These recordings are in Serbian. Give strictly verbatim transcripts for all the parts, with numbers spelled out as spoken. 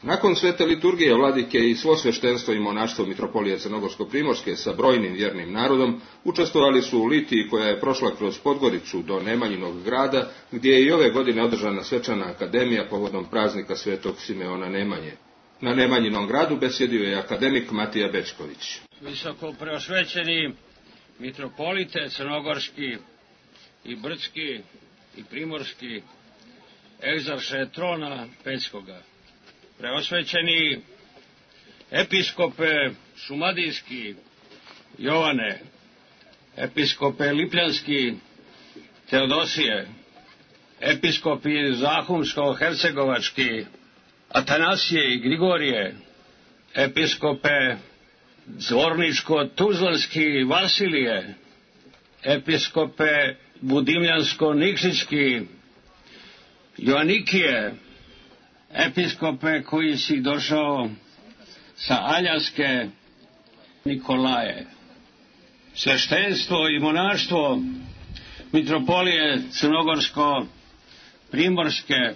Nakon svete liturgije vladike i svo sveštenstvo i monaštvo Mitropolije Crnogorsko-primorske sa brojnim vjernim narodom učestvovali su u litiji koja je prošla kroz Podgoricu do Nemanjinog grada, gdje je i ove godine održana svečana akademija povodom praznika svetog Simeona Nemanje. Na Nemanjinom gradu besjedio je akademik Matija Bečković. Visoko preosvećeni mitropolite crnogorski i brdski i primorski, egzarše trona Pećkoga, preosvećeni episkope šumadijski Jovane, episkope lipljanski Teodosije, episkopi zahumsko-hercegovački Atanasije i Grigorije, episkope zvorničko-tuzlanski Vasilije, episkope budimljansko-nikšićki Joanikije, episkope koji si došao sa Aljaske Nikolaje, sveštenstvo i monaštvo Mitropolije Crnogorsko-primorske,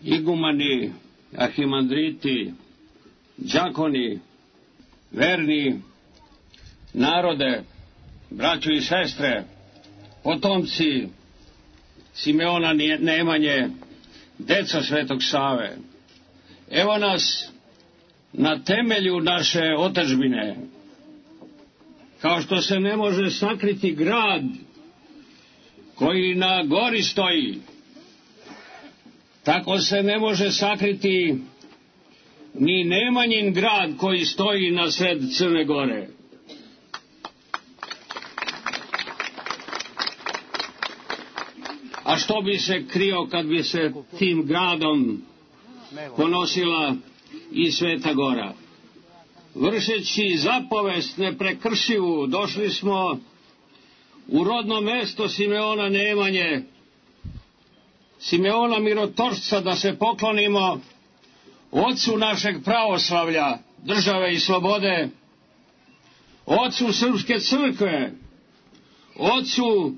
igumani, arhimandriti, đakoni, verni, narode, braćo i sestre, potomci Simeona Nemanje, deca Svetog Save. Evo nas na temelju naše otadžbine. Kao što se ne može sakriti grad koji na gori stoji, tako se ne može sakriti ni Nemanjin grad koji stoji na sred Crne Gore. A što bi se krio kad bi se tim gradom ponosila i Sveta Gora? Vršeći zapovest neprekršivu, došli smo u rodno mesto Simeona Nemanje, Simeona Mirotorsca, da se poklonimo ocu našeg pravoslavlja, države i slobode, ocu Srpske crkve, ocu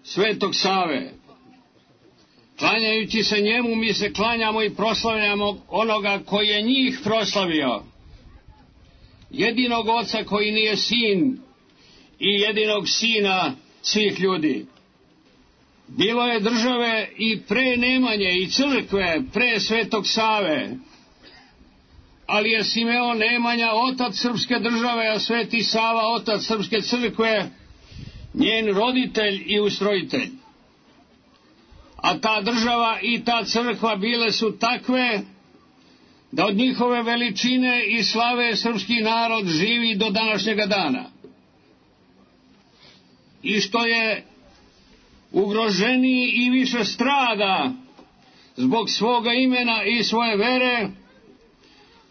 Svetog Save. Klanjajući se njemu, mi se klanjamo i proslavljamo onoga koji je njih proslavio, jedinog oca koji nije sin i jedinog sina svih ljudi. Bilo je države i pre Nemanje i crkve pre Svetog Save, ali je Simeon Nemanja otac srpske države, a Sveti Sava otac srpske crkve, njen roditelj i ustrojitelj. A ta država i ta crkva bile su takve da od njihove veličine i slave srpski narod živi do današnjega dana. I što je ugroženiji i više strada zbog svoga imena i svoje vere,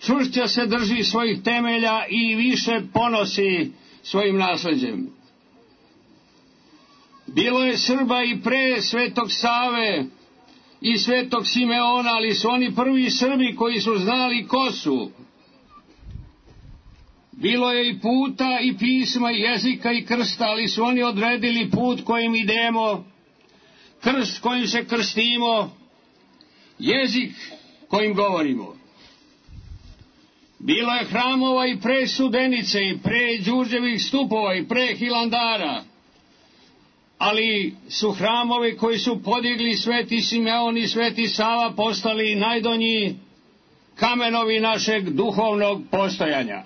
čvršće se drži svojih temelja i više ponosi svojim nasleđem. Bilo je Srba i pre Svetog Save i Svetog Simeona, ali su oni prvi Srbi koji su znali ko su. Bilo je i puta i pisma i jezika i krsta, ali su oni odredili put kojim idemo, krst kojim se krstimo, jezik kojim govorimo. Bilo je hramova i pre Studenice i pre Đurđevih stupova i pre Hilandara, ali su hramovi koji su podigli Sveti Simeon i Sveti Sava postali najdonji kamenovi našeg duhovnog postojanja.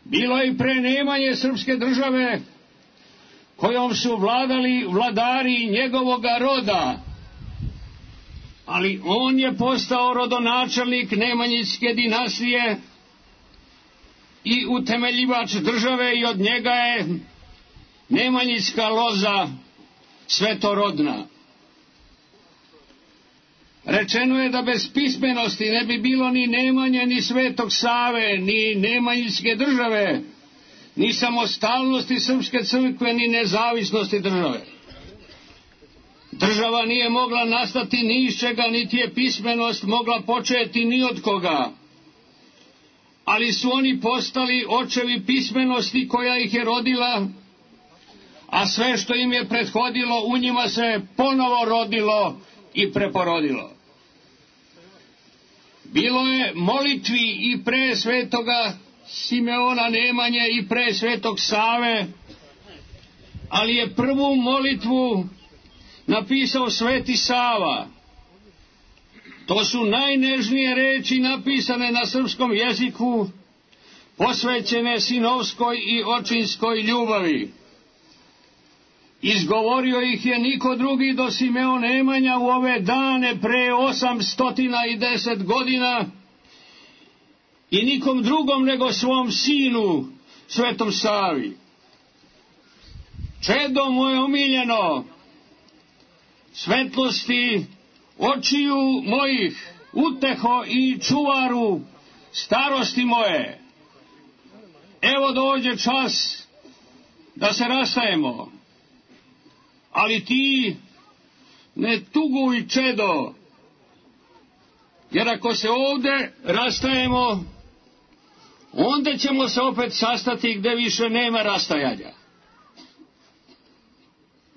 Bilo je i pre Nemanje srpske države kojom su vladali vladari njegovoga roda, ali on je postao rodonačelnik Nemanjićke dinastije i utemeljivač države i od njega je Nemanjićka loza svetorodna. Rečeno je da bez pismenosti ne bi bilo ni Nemanje, ni Svetog Save, ni Nemanjićke države, ni samostalnosti srpske crkve, ni nezavisnosti države. Država nije mogla nastati ni iz čega, niti je pismenost mogla početi ni od koga. Ali su oni postali očevi pismenosti koja ih je rodila, a sve što im je prethodilo u njima se ponovo rodilo i preporodilo. Bilo je molitvi i pre svetoga Simeona Nemanje i pre svetog Save, ali je prvu molitvu napisao sveti Sava. To su najnežnije reči napisane na srpskom jeziku, posvećene sinovskoj i očinskoj ljubavi. Izgovorio ih je niko drugi do Simeon Nemanja u ove dane pre osamstotina i deset godina i nikom drugom nego svom sinu, svetom Savi. Čedo moje omiljeno, svetlosti očiju mojih, uteho i čuvaru starosti moje, evo dođe čas da se rastajemo, ali ti ne tuguj, čedo, jer ako se ovde rastajemo, onda ćemo se opet sastati gde više nema rastajanja.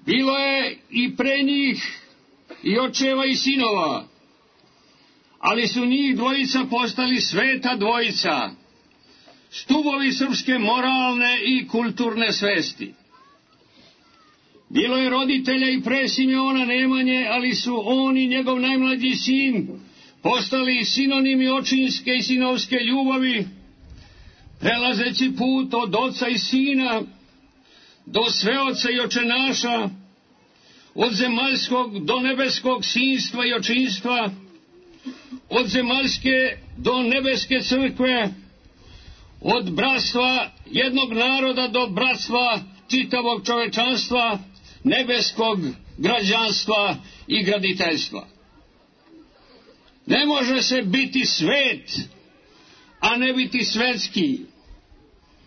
Bilo je i pre njih i očeva i sinova, ali su njih dvojica postali sveta dvojica, stubovi srpske moralne i kulturne svesti. Bilo je roditelja i pre Simeona Nemanje, ali su on i njegov najmlađi sin postali sinonimi očinske i sinovske ljubavi, prelazeći put od oca i sina do sveoca i očenaša, od zemaljskog do nebeskog sinstva i očinstva, od zemaljske do nebeske crkve, od bratstva jednog naroda do bratstva čitavog čovečanstva, nebeskog građanstva i graditeljstva. Ne može se biti svet, a ne biti svetski.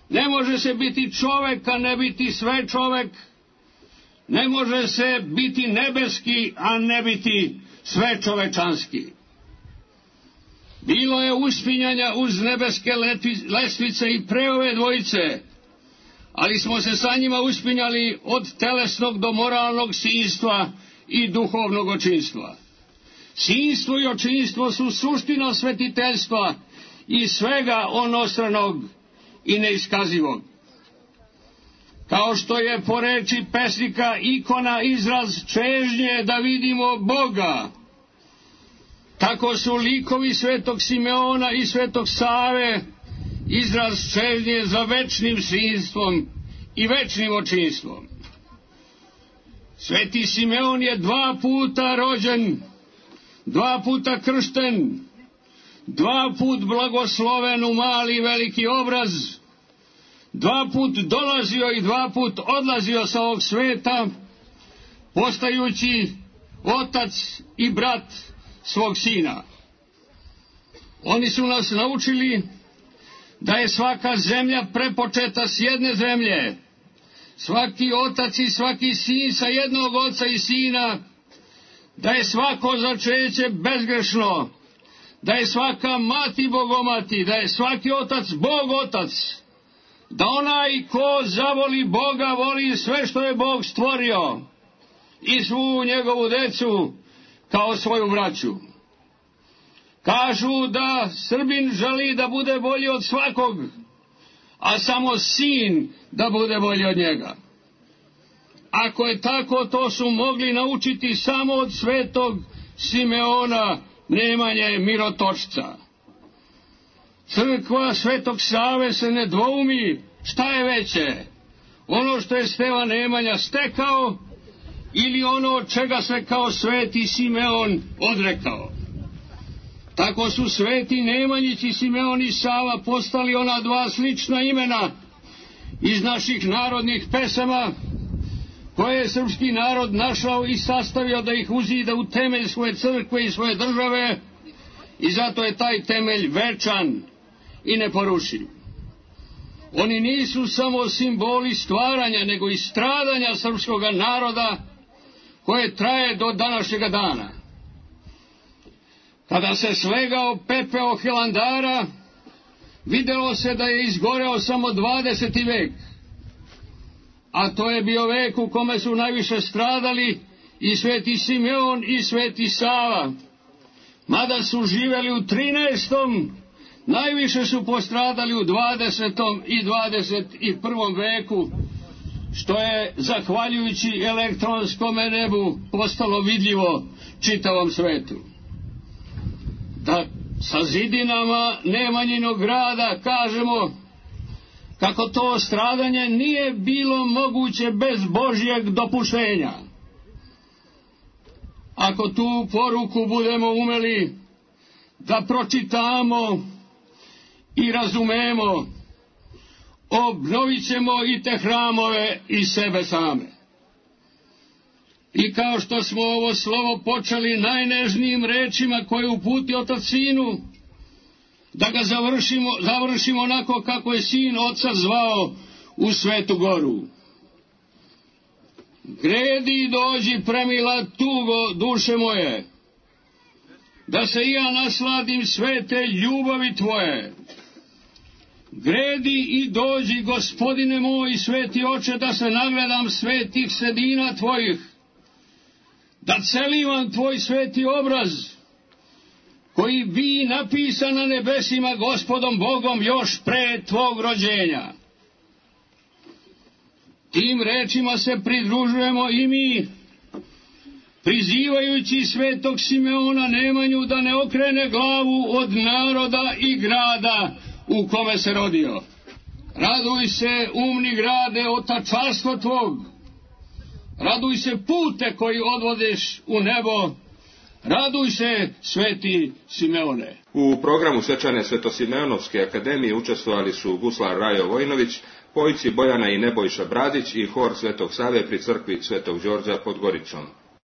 Ne može se biti čovek, a ne biti sve čovek. Ne može se biti nebeski, a ne biti sve čovečanski. Bilo je uspinjanja uz nebeske lestvice i pre ove dvojice, ali smo se sa njima uspinjali od telesnog do moralnog sinstva i duhovnog očinstva. Sinstvo i očinstvo su suština svetiteljstva i svega onostranog i neiskazivog. Kao što je po reči pesnika ikona izraz čežnje da vidimo Boga, tako su likovi svetog Simeona i svetog Save izraz čežnje za večnim sinstvom i večnim očinstvom. Sveti Simeon je dva puta rođen, dva puta kršten, dva put blagosloven u mali i veliki obraz, dva put dolazio i dva put odlazio sa ovog sveta, postajući otac i brat svog sina. Oni su nas naučili da je svaka zemlja prepočeta s jedne zemlje, svaki otac i svaki sin sa jednog oca i sina, da je svako začeće bezgrešno, da je svaka mati bogomati, da je svaki otac Bog otac, da onaj ko zavoli Boga voli sve što je Bog stvorio i svu njegovu decu kao svoju braću. Kažu da Srbin želi da bude bolji od svakog, a samo sin da bude bolji od njega. Ako je tako, to su mogli naučiti samo od svetog Simeona Nemanje Mirotočca. Crkva svetog Save se ne dvoumi šta je veće, ono što je Stevan Nemanja stekao ili ono od čega se kao sveti Simeon odrekao. Tako su sveti Nemanjić i Simeon i Sava postali ona dva slična imena iz naših narodnih pesama, koje je srpski narod našao i sastavio da ih uzida u temelj svoje crkve i svoje države, i zato je taj temelj večan i neporušiv. Oni nisu samo simboli stvaranja, nego i stradanja srpskog naroda koje traje do današnjega dana. Kada se slegao pepeo Hilandara, videlo se da je izgoreo samo dvadeseti vek, a to je bio vek u kome su najviše stradali i sveti Simeon i sveti Sava. mada su živjeli u trinaestom, najviše su postradali u dvadesetom i dvadeset prvom veku, što je, zahvaljujući elektronskom nebu, postalo vidljivo čitavom svetu. Da sa zidinama Nemanjinog grada kažemo kako to stradanje nije bilo moguće bez Božjeg dopuštenja. Ako tu poruku budemo umeli da pročitamo i razumemo, obnovit ćemo i te hramove i sebe same. I kao što smo ovo slovo počeli najnežnijim rečima koje uputi Otac Sinu, da ga završimo, završimo onako kako je Sin Oca zvao u Svetu Goru. Gredi i dođi, premila tugo duše moje, da se i ja nasladim svete ljubavi tvoje. Gredi i dođi, Gospodine moj, sveti oče, da se nagledam svetih sedina tvojih, da celivam tvoj sveti obraz, koji bi napisan na nebesima Gospodom Bogom još pre tvog rođenja. Tim rečima se pridružujemo i mi, prizivajući svetog Simeona Nemanju da ne okrene glavu od naroda i grada u kome se rodio. Raduj se, umni grade, otačarstvo tvog. Raduj se, pute koji odvodeš u nebo. Raduj se, sveti Simeone. U programu svečane Svetosimeonovske akademije učestvovali su guslar Rajo Vojnović, pojci Bojana i Nebojša Bradić i hor Svetog Save pri crkvi Svetog Đorđa pod Goricom.